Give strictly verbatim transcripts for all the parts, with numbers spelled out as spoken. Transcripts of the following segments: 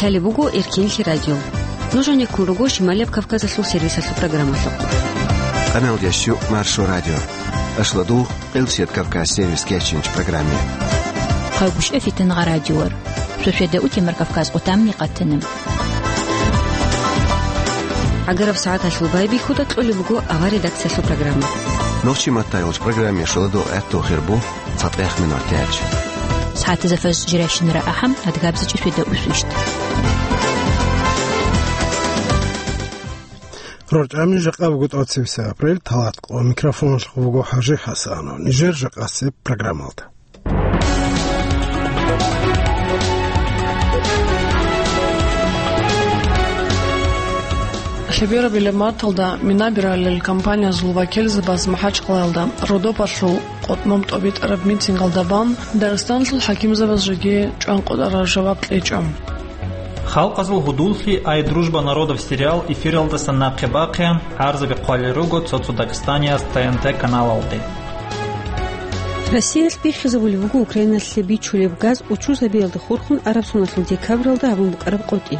Лъалеб буго Эркенлъи радио. Нуж гьанеккун руго Шималияб Кавказалъул сервисалъул программалъухъ. Къаналдияс щу Маршо радио. Ашлодул Къилчият Кавказ сервис кечинч программе. Хъалгушев Фитангъа радиор. Шошведа утемар Кавказ къутамни къатана. Агараб сагӀаталъул байбихьуда кьолеб буго авар редакциялъул программа. Нохчи маттайолч программе шоладо гӀатту хирбу. ЦатӀех минутач. СагӀатазда фажр жирайщинара ахӀам, адгабзичӀи шведа усвищт. Рорчамин жакъа буго тӀоцебесеб апрель, талат къо микрофоналъ буго ХӀажи ХӀасанов. Нижер жакъасеб программалда. Лъеберабилеб марталда мина биралел компаниязул вакилзабаз МахӀачкъалаялда Родопалъул къотӀмам тӀобитӀараб митингалда бан Дагъистаналъул хӀакимзабаз жеги чӀван къотӀараб жаваб кьечӀо. Халкъазул гьудуллъи «Ай, дружба народов» сериал эфиралдасан нахъе бахъе гӀарзаби хъвалел руго цо-цо Дагъистанияс Т Н Т каналалде. Россиялъ биххизабулеб буго Украиналъе бичулеб газ учузабиялда хурхун араб соналъул декабралда гьабун букӀараб къотӀи.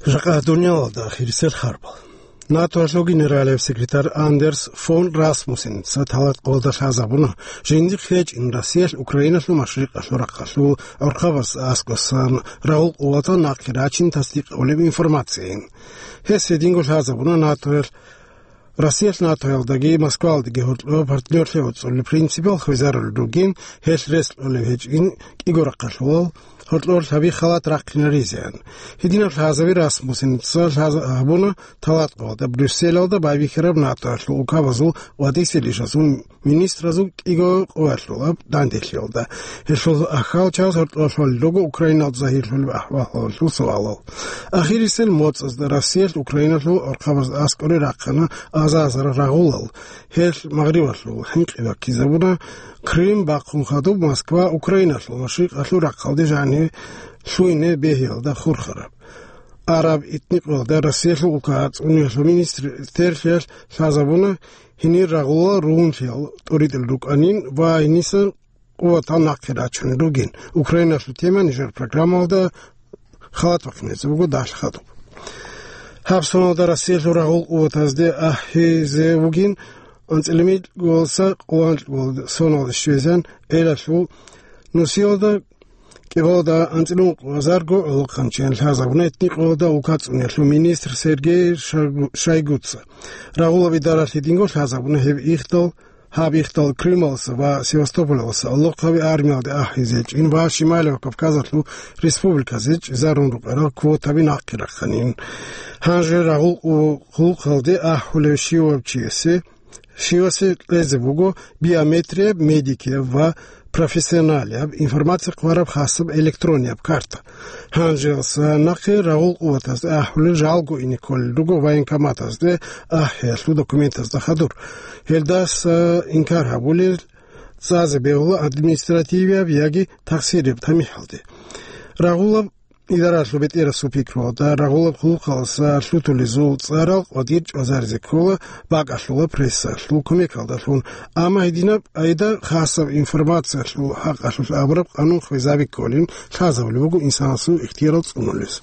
Жакъа дуниялалда ахирисел харбал. НАТОялъул генералияб секретарь Андерс фон Расмуссеница талат къолда лъазабуна, жиндихъ гьечӀин Россиялъ Украиналъул машрикъалъул рахъалъул гӀорхъабаз аскӀосан рагъул къуватал нахъе рачин тасдикъулеб информацияйин. Гьес гьединго лъазабуна НАТОялъ Россиялъ НАТОялдаги Москвалдаги гьоркьоб партнерлъи гӀуцӀулел принципал хвезарулел ругин, гьелъ рес кьолеб гьечӀин кӀиго рахъалъулал гьоркьор лъаби халат рахъинаризеян. Гьединаб лъазаби Расмуссеница лъаза-, гьабуна талат къолда Брюсселалда байбихьараб НАТОялъул улкабазул ва дисилищазул министразул кӀиго къоялъулаб данделъиялда. Гьелъул ахал чаз гьоркьор лъолел руго Украиналда загьирлъулеб ахӀвалалъул суалал. Ахирисел моцӀазда Россиялъ Украиналъул гӀорхъабаз аскӀоре рахъана азар-азар рагъулал. Гьелъ Магърибалъул хӀинкъи баккизабуна Крым бахъун хадуб Москва Украиналъул машрикъалъул рахъалде жаниб лъугьине бегьиялда хурхараб. Араб этникъоялда Россиялъул улка цӀуниялъул министр-, министрлъиялъ лъазабуна гьенир рагъулал ругьунлъиял тӀуритӀел рукӀанин ва гьенисан къуватал нахъе рачунел ругин. Украиналъул тема нижер программалда халат бахъинезе буго дагьлъи хадуб. Гьаб соналда Россиялъул рагъул къуватазде ахӀизе вугин анцӀила микьго соналда щвезан гӀелалъул нусиялда кӀикъоялда анцӀила ункъо азарго гӀолохъанчиян лъазабуна этникъоялда улка цӀуниялъул министр Сергей Шойгу-, Шойгуца. Рагъулаб идаралъ гьединго лъазабуна гьеб ихдал, гьаб ихдал Крымаласа ва Севастополаласа алохъаби армиялде ахӀизе чӀин ва Шималияб Кавказалъул республиказе чӀезарун рукӀарал квотаби нахъе рахъанин. Гьанже рагъул къу-, хъулухъалде ахӀулев щивав чиясе Щивасе кьезе буго биометрияб, медикияб ва профессионалияб информация хъвараб хасаб электронияб карта. Гьанжеялса нахъе рагъул къуватазда ахӀулел жалго ине кколел руго военкоматазде ахӀиялъул документазда хадур. Гьелдаса инкар гьабулел цӀазе бегьула административияб яги тахсираб тамихӀалде. Рагъулаб Идаралъул бетӀерасул пикруялда рагъулаб хъулухъалдаса лъутулезул цӀарал къватӀир чӀвазаризе ккола, бакӀалъула прессалъул кумекалдалъун, амма гьединаб къайда хасаб информациялъул хӀакъалъулъ абураб къанун хвезаби кколин лъазабулеб буго инсанасул ихтиярал цӀунулез.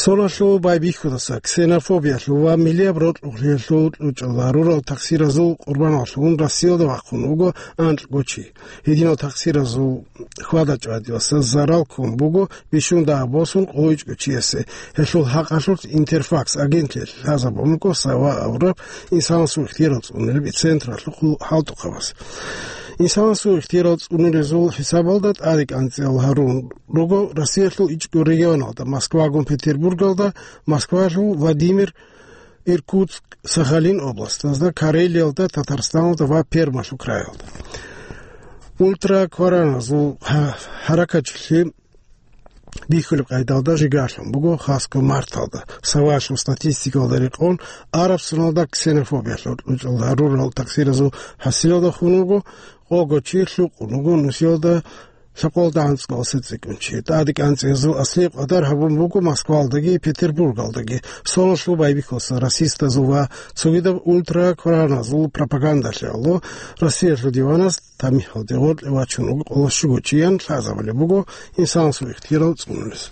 Соналъул байбихьудаса, ксенофобиялъул ва миллияб рокьулъиялъул кьучӀал гьарурал тахсиразул къурбаналъун Россиялда вахъун вуго анкьго чи. Гьединал тахсиразул хьвада-чӀвадиялдаса зарал ккун буго бищун дагьаб босун къойчӀго чиясе. Гьелъул хӀакъалъулъ Интерфакс агентлъиялъ лъазабун буго Сава абураб инсанасул ихтиярал цӀунулеб централъухъ хӀалтӀухъабаз. Инсанасул ихтиярал цӀунулезул хӀисабалда тӀаде кӀанцӀиял гьарун руго Россиялъул ичӀго регионалда, Москвагун Петербургалда, Москвалъул Владимир, Иркутск, Сахалин областазда, Карелиялда, Татарстаналда ва Пермалъул краялда. Ултраквараназул гьа-, гьаракатчилъи бихьулеб къайдалда жигарлъун буго хасго марталда. Савалъул статистикалда рекъон, араб соналда ксенофобиялъул кьучӀал гьарурал тахсиразул хӀасилалда хун вуго, къого чи лъукъун вуго нусиялда Лъабкъоялда анцӀго цӀикӀкӀунчи. ТӀаде кӀанцӀиязул аслияб къадар гьабун буго Москваялдаги Петербургалдаги. Соналъул байбихьулса расистазул ва цогидаб ультракораназул пропагандалъе гӀоло Россиялъул диванас тамихӀалде гъоркье вачун вуго къоло щуго чиян лъазабулеб буго инсанасул ихтиярал цӀунулес.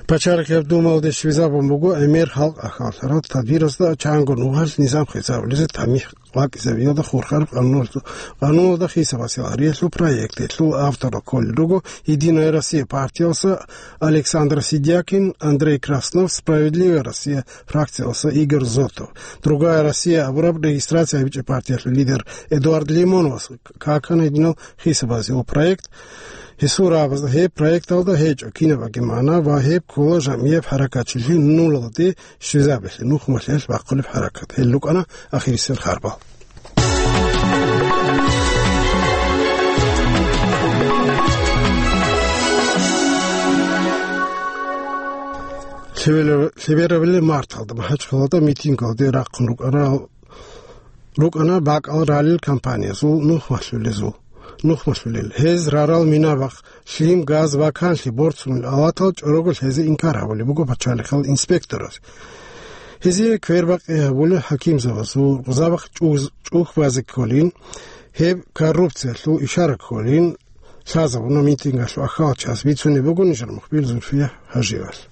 Пачалихъияб Думалде щвезабун буго гӀемер халкъ ахӀуларал тадбирасда чанго нугӀал низам хисабулезе тамихӀ вакӀизабиялда хурхараб къануналда, къануналда хисабасел гьариялъул проект. Гьелъул авторал кколел руго «Единая Россия» партиялса Александр Сидякин, Андрей Краснов, «Справедливая Россия» фракциялса Игорь Зотов. «Другая Россия» абураб регистрация гьабичӀеб партиялъул лидер Эдуард Лимоновас какана гьединал хисабазул проект. Гьесул рагӀабазда гьеб проекталда гьечӀо кинабаги магӀна ва гьеб ккола жамгӀияб хӀаракатчилъи нулалде щвезабиялъе, нухмалъиялъ бахъулеб хӀаракат. Гьел рукӀана ахирисел харбал. Лъебераб-, лъеберабилеб марталда МахӀачхъалалда митингалде рахъун рукӀарал рукӀана бакӀал ралел компаниязул нухмалъулезул, нухмалъулел. Гьез рарал минабахъ, лъим, газ ва канлъи борцунел алатал чӀорого лъезе инкар гьабулеб буго пачалихъал инспектораз. Гьезие квербакъи гьабулел хӀакимзабазул рукъзабахъ чӀуз-, чӀухь базе кколин, гьеб коррупциялъул ишара кколин лъазабуна митингалъул ахӀалчияс, бицунеб буго нижер мухбир Зульфия Гьажиевалъ.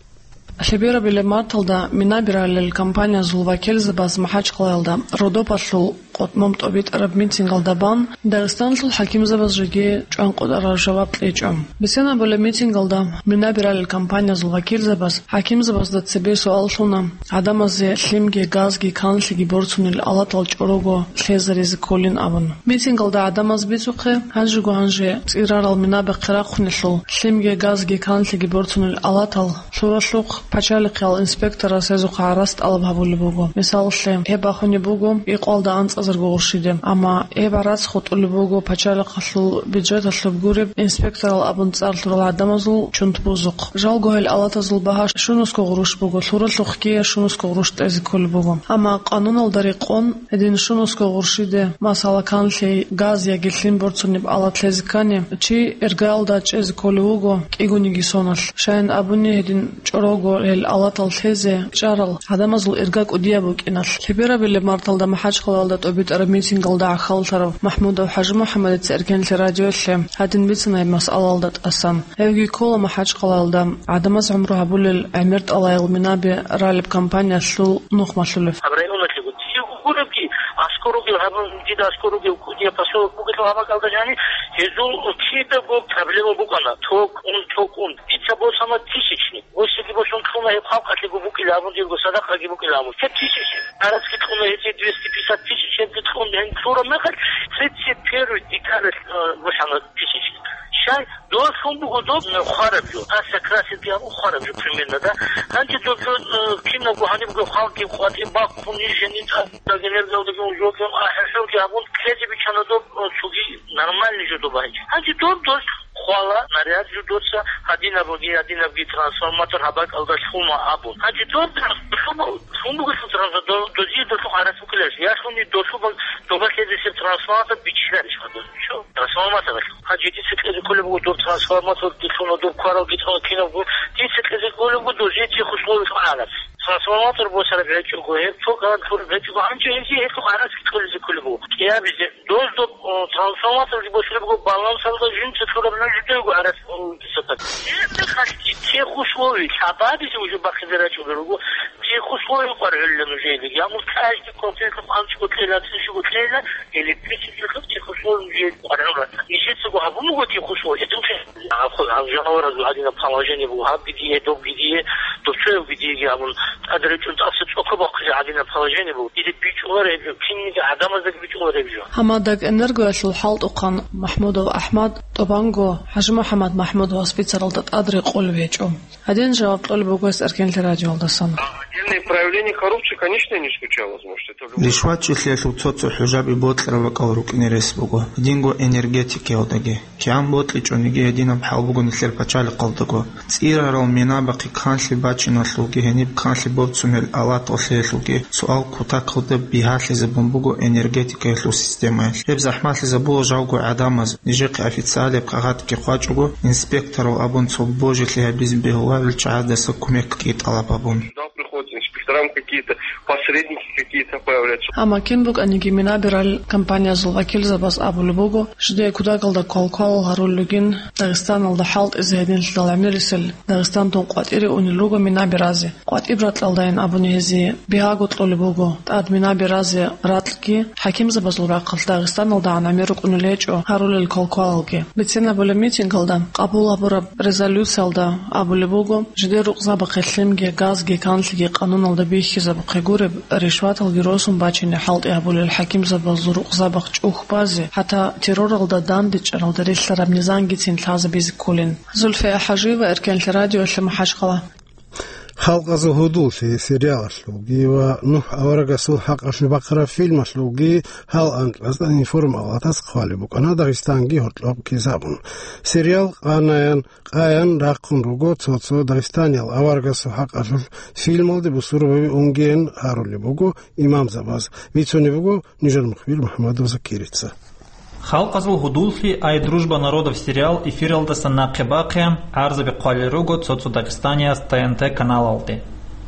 Лъеберабилеб марталда минаби ралел компаниязул вакилзабаз МахӀачхъалаялда Родопалъул къотӀмам тӀобитӀараб митингалда бан Дагъистаналъул хӀакимзабаз жеги чӀванкъотӀараб жаваб кьечӀо. Бицен абулеб митингалда минаби ралел компаниязул вакилзабаз хӀакимзабазда цебе суал лъуна, гӀадамазе лъимги, газги, канлъиги борцунел алатал чӀорого лъезаризе кколин абун. Митингалда гӀадамаз бицухъе, гьанжего гьанже цӀирарал минабахъе рахъунелъул, лъимги, газги, канлъиги борцунел алатал лъуралъухъ, пачалихъиял инспекторас гьезухъа гӀарац тӀалаб гьабулеб буго. Мисалалъе, гьеб бахунеб буго, икъвалда анцӀазарго гъурщиде. Амма гьеб гӀарац хутӀулеб буго пачалихъалъул бюджеталъуб гуреб инспекторал абун цӀар лъурал гӀадамазул чунтбузухъ. Жалго гьел алатазул багьа щунусго гъурущ буго, лъуралъухъги щунусго гъурущ тӀезе кколеб буго. Амма къануналда рекъон, гьедин щунусго гъурщиде, масала, канлъи, газ яги лъим борцунеб алат лъезе ккани, чи иргаялда чӀезе кколев вуго кӀигониги соналъ. Щайин абуни, гьедин чӀорого гьел алатал лъезе чӀарал гӀадамазул ирга кӀудияб букӀиналъ. Лъеберабилеб марталда МахӀачхъалаялда тӀобитӀараб митингалда гӀахьаллъарав МахӀмудов ХӀажимухӀаммадица Эркенлъи радиолъе гьадин бицана гьеб масъалаялда тӀасан. Гьевги ккола МахӀачхъалаялда гӀадамаз гӀумру гьабулел гӀемертӀалаял минаби ралеб компаниялъул нухмалъулев. Гьаб районалъего дие гуребги, аскоруги гьабун, дида аскоруги кӀудияб поселок бугелъул гьаб бакӀалда жани, гьезул кидаго проблема букӀана, ток ун, ток ун. Дица босана тысячник. Гьосиги босун кьуна гьеб халкъалъего букӀила абун, дирго садакъаги букӀила абун. Гьеб тысячник. Гьараски кьуна гьесие двести пятьдесят тысяч, гьебги кьун гьен кьураб мехалъ, тридцать первый декабрь, э, босана тысячник. Щай, дос лъун буго доб, э, хвараб жо. Аса красит гьабун хвараб жо примерно, да? Гьанже доб жо, э, кинабго гьанибго халкъги къватӀиб бахъун, иш гьениб тӀад, даг энергиялдаги унжоги, а, хӀухӀулги гьабун, кьезе биччана доб, э, цоги нормальный жо доб гьанже. Гьанже доб дос хвала, наряд жо доца, гьадинабги, гьадинабги трансформатор гьаб бакӀалда лъума абун. Гьанже доб дос лъума, лъун бугелъул трансфер-, до-, дозие долъухъ гӀарац букӀиларищ? Я лъуни долъубан доба лъезесеб трансформатор биччиларищ гьадаз? Чо? Трансформаторалъ. Гьанже дица кьезе кколеб буго доб трансформатор, дилъуна доб кварал гитӀана кинабго. Дица кьезе кколеб буго дозие тех условиялъухъ гӀарац. Трансформатор босараб гьечӀого, гьеб ток гьаракь лъураб гьечӀого, гьанже гьезие гьелъухъ гӀарац кьолизе кколеб буго. КӀиабизе, дос доб, о, трансформаторги босулеб буго, балансалда жинца лъураб жо жидего гӀарац, о, дица так. Гьеб мехалъги тех условий лъабабизе уже бахъизе рачӀунел руго, тех условий къваргӀулилан уже гьелиги. Амур каждый конкретно панчго кьела, цинчго кьела, электричество тех условий уже къваргӀула. Нижецаго гьабун буго тех условий, это уже Гьаб, гьаб жанаваразул гьадинаб положение буго, гьаб гидие, доб гидие, доб цояв гидиеги абун, тӀаде речӀун тӀаса цӀока бахъизе гьадинаб положение буго. Дида бичӀчӀулар гьеб жо, кинниги гӀадамаздаги бичӀчӀулар гьеб жо. Гьамадагэнергоялъул хӀалтӀухъан МахӀмудов АхӀмад тӀубанго ХӀажимухӀаммад МахӀмудовас бицаралда тӀад рекъолеб гьечӀо. Гьадин жаваб кьолеб буго гьес Эркенлъи радиоялдасан. Проявление коррупции, конечно, не исключалось, может, это любой. РишватчӀулъиялъул цо-цо хӀужаби бокьараб бакӀал рукӀине рес буго, гьединго энергетикаялдаги. КигӀан бокьичӀониги гьединаб хӀал буго нилъер пачалихъалдаго. ЦӀирарал минабахъе канлъи бачиналъулги гьениб канлъи борцунел алаталъиялъулги суал кутакалда бигьалъизабун буго энергетикаялъул системаялъ. Гьеб захӀмалъизабула жавго гӀадамаз, нижехъе официалияб кагъатги хъвачӀого, инспекторал абун цо божилъи гьабизе бегьуларел чагӀаздаса кумекги тӀалаб гьабун. Сюда приходят инспекторам какие-то, посредники какие-то появляются. Амма кин букӀаниги минабирал компаниязул вакилзабаз абулеб буго, жидее кутакалда квалквалал гьарулел ругин Дагъистаналда хӀалтӀизе гьединлъидал гӀемерисел Дагъистандун къватӀире унел руго минабиразе. КъватӀиб ракьалдайин абуни гьезие бигьаго кьолеб буго, тӀад минабиразе ракьги хӀакимзабазул рахъалъ ДагъистаналдагӀан гӀемер рукӀунел гьечӀо гьарулел квалквалалги. Бицинабулеб митингалда къабул гьабураб резолюциялда абулеб буго, жидер рукъзабахъе лъимги, газги, канлъиги къануналда бихьизабухъе гуреб, ришваталги росун бачине хӀалтӀи гьабулел хӀакимзабазул рукъзабахъ чӀухь базе, хӀатта терроралда дандечӀаралда релълъараб низамгицин лъазабизе кколин. Зульфия ХӀажиева, Эркенлъи радиолъи, МахӀачхъала. Халкъазул гьудуллъи сериалалъулги ва НухӀ аварагасул хӀакъалъулъ бахъараб фильмалъулги гьал анкьазда информалатас хъвалеб букӀана Дагъистанги гьоркьоб ккезабун. Сериал къанаян, къаян рахъун руго цо-цо дагъистаниял аварагасул хӀакъалъулъ фильмалде бусурбаби унгеян гьарулеб буго имамзабаз. Бицунеб буго нижер мухбир МухӀаммадов Закирица. Халкъазул гьудуллъи «Ай, дружба народов» сериал эфиралдаса нахъе бахъеян гӀарзаби хъвалел руго цо-цо Дагъистанияс Т Н Т каналалде.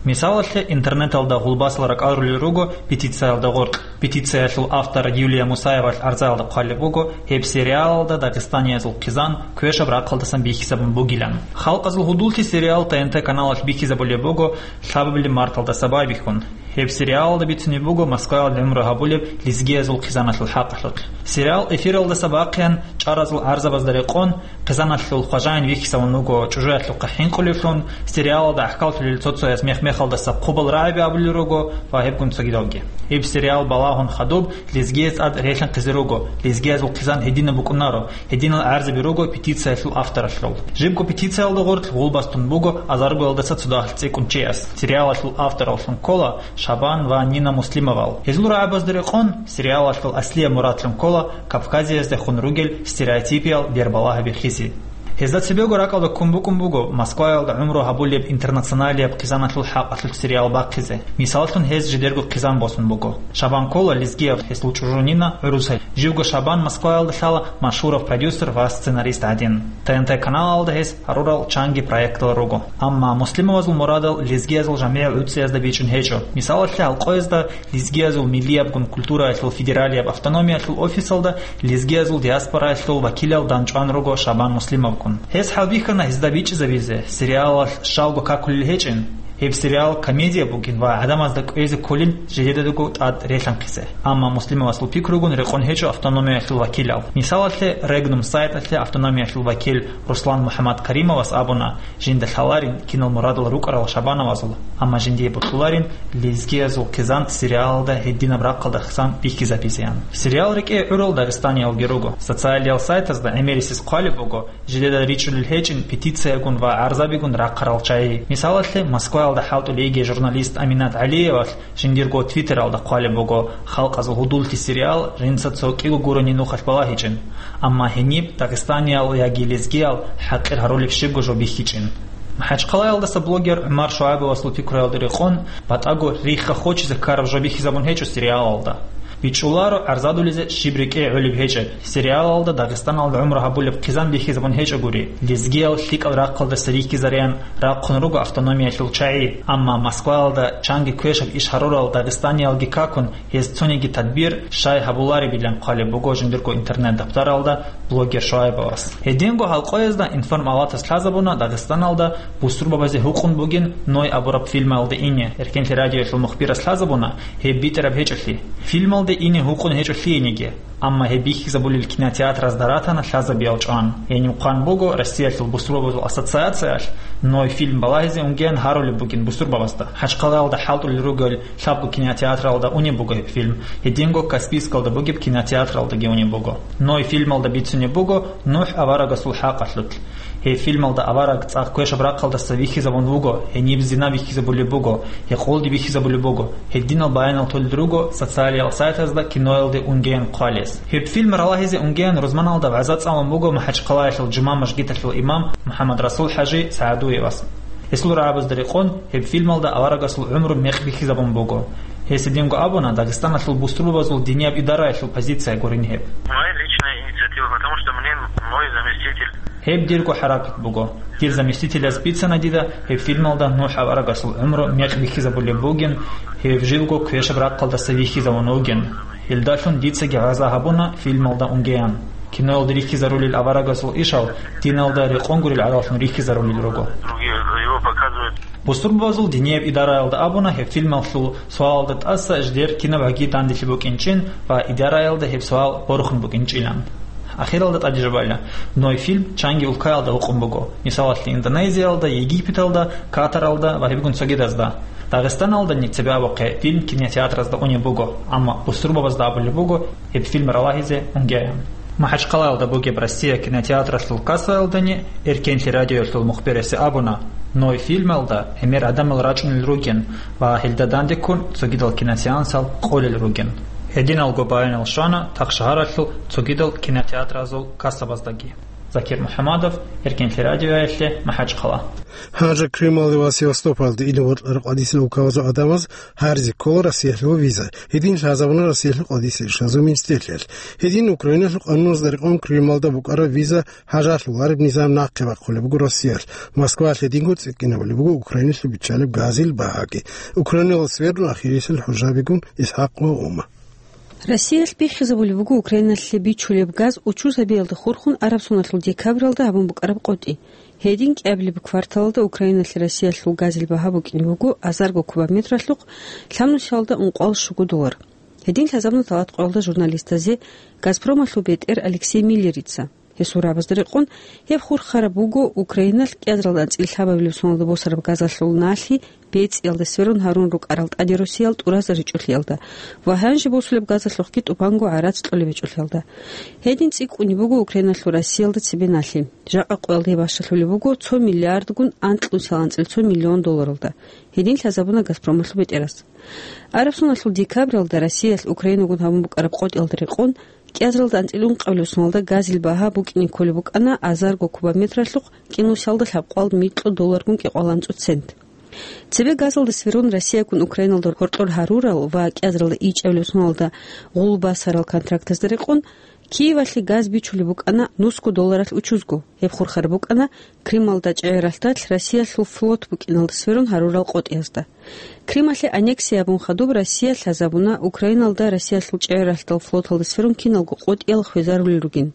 Мисалалъе, интернеталда гъулбасал ракӀал рулел руго петициялда гъоркь. Петициялъул автор Юлия Мусаевалъ гӀарзаялда хъвалеб буго гьеб сериалалда дагъистаниязул хъизан квешаб рахъалдасан бихьизабун бугилан. Халкъазул гьудуллъи сериал Т Н Т каналалъ бихьизабулеб буго лъабабилеб марталдаса байбихьун. Гьеб сериалалда бицунеб буго Москваялда гӀумру гьабулеб лезгиязул хъизаналъул хӀакъалъулъ. Сериал эфиралдаса бахъеян чӀаразул гӀарзабазда рекъон, хъизаналъул хважаин вихьизавун вуго чӀужуялъухъа хӀинкъулевлъун, сериалалда гӀахьаллъулел цо-цояс мех-мехалдаса хъубал рагӀаби абулел руго ва гьебгун цогидалги. Гьеб сериал балагьун хадуб лезгияз тӀад релъанхъизе руго, лезгиязул хъизан гьединаб букӀунаро, гьединал гӀарзаби руго петициялъул авторалъул. Жибго петициялда гъоркь гъулбас тун буго азаргоялдаса цо дагьал цӀикӀкӀун чияс. Сериалалъул автораллъун ккола Шабан ва Нина Муслимовал. Гьезул рагӀабазда рекъон, сериалалъул аслияб мурадлъун ккола Кавказияздехун ругел стереотипиял бербалагьаби хизе. Гьезда цебего ракӀалда ккун букӀун буго Москваялда гӀумру гьабулеб интернационалияб хъизаналъул хӀакъалъулъ сериал бахъизе. Мисаллъун, гьез жидерго хъизан босун буго. Шабан ккола лезгияв, гьесул чӀужу Нина гӀурусай. Живго Шабан Москваялда лъала машгьурав продюсер ва сценарист гӀадин. Т Н Т каналалда гьес гьарурал чанги проектал руго. Амма Муслимовазул мурадал лезгиязул жамигӀ гӀуцӀиязда бичӀчӀун гьечӀо. Мисалалъе, гьалкъоязда лезгиязул миллиябгун культураялъул федералияб автономиялъул офисалда лезгиязул диаспораялъул вакилал данчӀван руго Шабан Муслимовгун. Гьес хӀалбихьана гьезда бичӀчӀизабизе, сериалалъ щалго какулел гьечӀин. Гьеб сериал комедия бугин ва гӀадамазда кӀвезе кколин жидедаго тӀад релъанхъизе. Амма Муслимовасул пикругун рекъон гьечӀо автономиялъул вакилал. Мисалалъе, Регнум сайталъе автономиялъул вакил Руслан МухӀаммадкаримовас абуна, жинда лъаларин кинал мурадал рукӀарал Шабановазул, амма жиндие бокьуларин лезгиязул хъизан сериалалда гьединаб рахъалдасан бихьизабизеян. Сериал рекӀее гӀурал дагъистаниялги руго. Социалиял сайтазда гӀемерисез хъвалеб буго, жидеда ричӀулел гьечӀин петициягун ва гӀарзабигун рахъарал чагӀи. Мисалалъе, Москваялда хӀалтӀулей йигей журналист Аминат ГӀалиевалъ жиндирго Твиттералда хъвалеб буго, халкъазул гьудуллъи сериал жинца цо кӀиго гурони нухалъ балагьичӀин, амма гьениб дагъистаниял яги лезгиял хӀакъир гьарулеб щибго жо бихьичӀин. МахӀачхъалаялдаса блогер ГӀумар ШугӀайбовасул пикруялда рекъон, батӀаго рихха хочизе ккараб жо бихьизабун гьечӀо сериалалда. БичӀчӀуларо гӀарзадулезе щиб рекӀее гӀолеб гьечӀеб. Сериалалда Дагъистаналда гӀумру гьабулеб хъизан бихьизабун гьечӀогури, лезгиял лъикӀал рахъалдаса рихьизареян рахъун руго автономиялъул чагӀи, амма Москваялда чанги квешаб иш гьарурал дагъистаниялги какун, гьез цониги тадбир щай гьабуларебилан хъвалеб буго жиндирго интернет-даптаралда блогер ШугӀайбовас. Гьединго гьалкъоязда информалатас лъазабуна Дагъистаналда бусурбабазе гьукъун бугин «Ной» абураб фильмалде ине. Эркенлъи радиоялъул мухбирас лъазабуна гьеб битӀараб гьечӀолъи. Фильмалде ине гьукъун гьечӀо лъиениги. Амма гьеб бихьизабулел кинотеатразда ратана лъазабиял чӀван. Гьениб хъван буго Россиялъул бусурбабазул ассоциациялъ «Ной» фильм балагьизе унгеян гьарулеб бугин бусурбабазда. МахӀачхъалаялда хӀалтӀулел ругел лъабго кинотеатралда унеб буго гьеб фильм. Гьединго Каспийскалда бугеб кинотеатралдаги унеб буго. «Ной» фильмалда бицунеб буго НухӀ аварагасул хӀакъалъулъ. Гьеб фильмалда авараг цӀакъ квешаб рахъалдаса вихьизабун вуго, гьениб зина бихьизабулеб буго, гьекъолди бихьизабулеб буго, гьединал баянал толел руго социалиял сайтазда киноялде унгеян хъвалес. Гьеб фильм ралагьизе унгеян рузманалда вагӀза цӀалун буго МахӀачхъалаялъул жума мажгиталъул имам МухӀаммадрасул-хӀажи СагӀадуевас. Гьесул рагӀабазда рекъон, гьеб фильмалда аварагасул гӀумру мекъ бихьизабун буго. Гьес гьединго абуна, Дагъистаналъул бусурбабазул динияб идараялъул позиция гурин гьеб. Моя личная инициатива, потому что мне мой заместитель. Гьеб дирго хӀаракат буго. Дир заместителяс бицана дида, гьеб фильмалда НухӀ аварагасул гӀумру мекъ бихьизабулеб бугин, гьев живго квешаб рахъалдаса вихьизавун вугин. Гьелдалъун дицаги вагӀза гьабуна фильмалда унгеян. Киноялда рихьизарулел аварагасул ишал диналда рекъон гурел гӀадаллъун рихьизарулел руго. Другие его показывают. Бусурбабазул динияб идараялда абуна гьеб фильмалъул суалалда тӀаса жидер кинаб гӀаги данделъи букӀинчӀин ва идараялда гьеб суал борхун букӀинчӀилан. Ахиралда тӀаде жубайла, Ной фильм чанги улкаялда гьукъун буго, мисалалъе, Индонезиялда, Египеталда, Катаралда ва гьебгун цогидазда. Дагъистаналдани цебе абухъе фильм кинотеатразда унеб буго, амма бусурбабазда абулеб буго гьеб фильм ралагьизе унгеян. МахӀачхъалаялда бугеб Россия кинотеатралъул кассаялдани Эркенлъи радиоялъул мухберасе абуна, Ной фильмалда гӀемер гӀадамал рачӀунел ругин ва гьелда дандеккун цогидал киносеансал къолел ругин. Гьединалго баянал щвана тахшагьаралъул цогидал кинотеатразул кассабаздаги. Закир МухӀамадов, Эркенлъи радиоялъе, МахӀачхъала. Гьанже Крымалде ва Севастополалде ине бокьараб къватӀисел улкабазул гӀадамаз гьаризе ккола Россиялъул виза. Гьедин лъазабуна Россиялъул къватӀисел ишлазул министрлъиялъ. Гьедин Украиналъул къануналда рекъон Крымалда букӀараб виза гьажалъулареб низам нахъе бахъулеб буго Россиялъ. Москваялъ гьединго цӀикӀкӀинабулеб буго Украиналъе биччалеб газил багьаги. Украиналда сверун ахирисел хӀужабигун ИсхӀакъ ва Ума. Россиялъ биххизабулеб буго Украиналъе бичулеб газ учузабиялда хурхун араб соналъул декабралда гьабун букӀараб къотӀи. Гьедин кӀиабилеб кварталалда Украиналъе Россиялъул газил багьа букӀине буго азарго кубометралъухъ лъабнусиялда ункъоялда щуго доллар. Гьедин лъазабуна талатӀкъоялда журналистазе Газпромалъул бетӀер Алексей Миллерица. Гьесул рагӀабазда рекъон, гьеб хурхараб буго Украиналъ кӀиазаралда анцӀила лъабабилеб соналда босараб газалъул налъи бецӀиялда сверун гьарун рукӀарал тӀаде росиял тӀуразаричӀолъиялда ва гьанже босулеб газалъухъги тӀубанго гӀарац кьолеб гьечӀолъиялда. Гьедин цӀикӀкӀунеб буго Украиналъул Россиялда цебе налъи. Жакъа къоялда гьеб бащалъулеб буго цо миллиардгун анкьнусиял анцӀила цо миллион долларалда. Гьедин лъазабуна Газпромалъул бетӀерас. Араб соналъул декабралда Россиялъ Украинагун гьабун букӀараб къотӀиялда рекъон, кӀиазаралда анцӀила ункъабилеб соналда газил багьа букӀине кколеб букӀана азарго кубометралъухъ кӀинусиялда лъабкъоялда микьго долларгун кӀикъоялда анцӀго цент. Цебе газалда сверун Россиягун Украиналда гьоркьор гьарурал ва кӀиазаралда ичӀабилеб соналда гъул басарал контрактазда рекъон, Киевалъе газ бичулеб букӀана нусго долларалъ учузго. Гьеб хурхараб букӀана Крымалда чӀегӀер ралъдалъ Россиялъул флот букӀиналда сверун гьарурал къотӀиязда. Крымалъе аннексия гьабун хадуб Россия лъазабуна Украиналда Россиялъул чӀегӀер ралъдал флоталда сверун киналго къотӀиял хвезарулел ругин.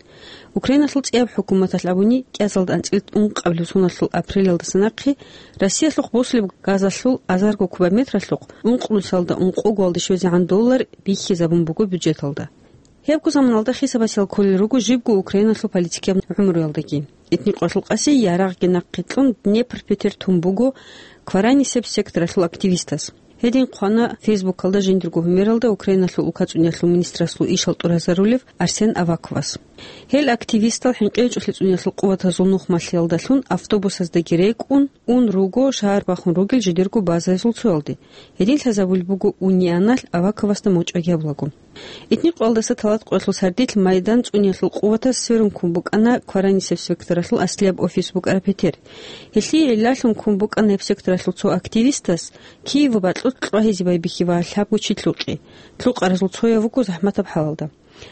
Украиналъул цӀияб хӀукуматалъ абуни, кӀиазалда анцӀила ункъабилеб соналъул апрелалдаса нахъе Россиялъухъ босулеб газалъул азарго кубометралъухъ ункънусиялда ункъогоялде щвезегӀан доллар биххизабун буго бюджеталда. Гьебго заманалда хисабасел кколел руго жибго Украиналъул политикияб гӀумруялдаги. Этникъоялъул къаси ярагъги нахъе кьун Днепр петер тун буго Кваранисеб секторалъул активистас. Гьедин хъвана Фейсбукалда жиндирго гьумералда Украиналъул улкацӀуниялъул министрасул ишал тӀуразарулев Арсен Аваковас. Гьел активистал хӀинкъичӀолъи цӀуниялъул къуватазул нухмалъиялдалъун автобусаздаги рекӀун ун руго шагьар бахун ругел жидерго базаязул цоялде. Гьедин лъазабулеб буго уни аналъ Аваковасда мочӀаги гьабулаго. Этникъоялдаса талатӀкъоялъул сардилъ Майдан цӀуниялъул къуватаз сверун ккун букӀана Кваранисеб секторалъул аслияб офис букӀараб петер. Гьелъие гӀиллалъун ккун букӀана гьеб секторалъул цо активистас Киевалда бакьулъ кьвагьизе байбихьи ва лъабго чи лъукъи. Лъукъаразул цояв вуго захӀматаб хӀалалда.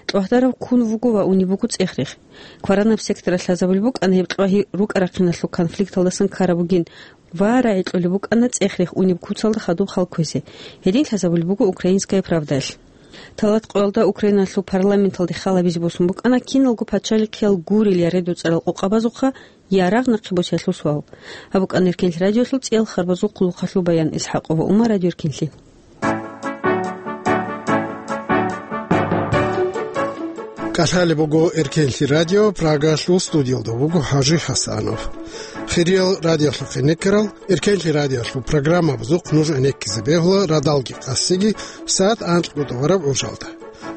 Кьвагьдарав ккун вуго ва унеб буго цӀех-рех. Кваранаб секторалъ лъазабулеб букӀана гьеб кьвагьи рукӀа-рахъиналъул конфликталдасан ккараб бугин ва рагӀи кьолеб букӀана цӀех-рех унеб куцалда хадуб хал кквезе. Гьедин лъазабулеб буго «Украинская правдаялъ». ТалатӀкъоялда Украиналъул парламенталде хал гьабизе босун букӀана киналго пачалихъиял гурел я редуцӀарал къокъабазухъа ярагъ нахъе босиялъул суал. Гьаб букӀана Эркенлъи радиолъул цӀиял харбазул хъулухъалъул баян. ИсхӀакъова Ума, Радио Эркенлъи. КӀалъалеб буго Эркенлъи радио, Прагалъул студиялда вуго ХӀажи ХӀасанов. Хириял радиолъухъ гӀенеккарал, Эркенлъи радиолъул программабазухъ нуж гӀенеккизе бегьула радалги къасиги сагӀат анкьго тӀубараб гӀужалда.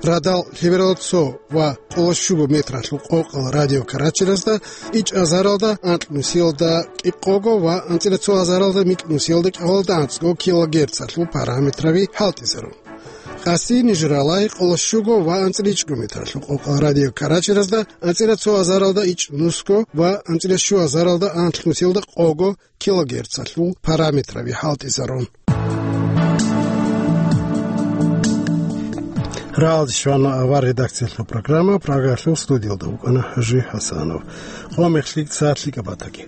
Радал лъебералда цо ва къоло щуго метралъул къокъал радиокарачиразда ичӀ азаралда анкь нусиялда кӀикъого ва анцӀила цо азаралда микь нусиялда кӀикъоялда анцӀго килогерцалъул параметраби хӀалтӀизарун. Къаси нижералай къоло щуго ва анцӀила ичӀго метралъул къокъал радиокарачиразда анцӀила цо азаралда ичӀ нусго ва анцӀила щу азаралда анкь нусиялда къого килогерцалъул параметраби хӀалтӀизарун. Рагьалде щвана авар редакциялъул программа, Прагалъул студиялда вукӀана Хажи ХӀасанов. Къо мехлъи цалъи кӀабатаги.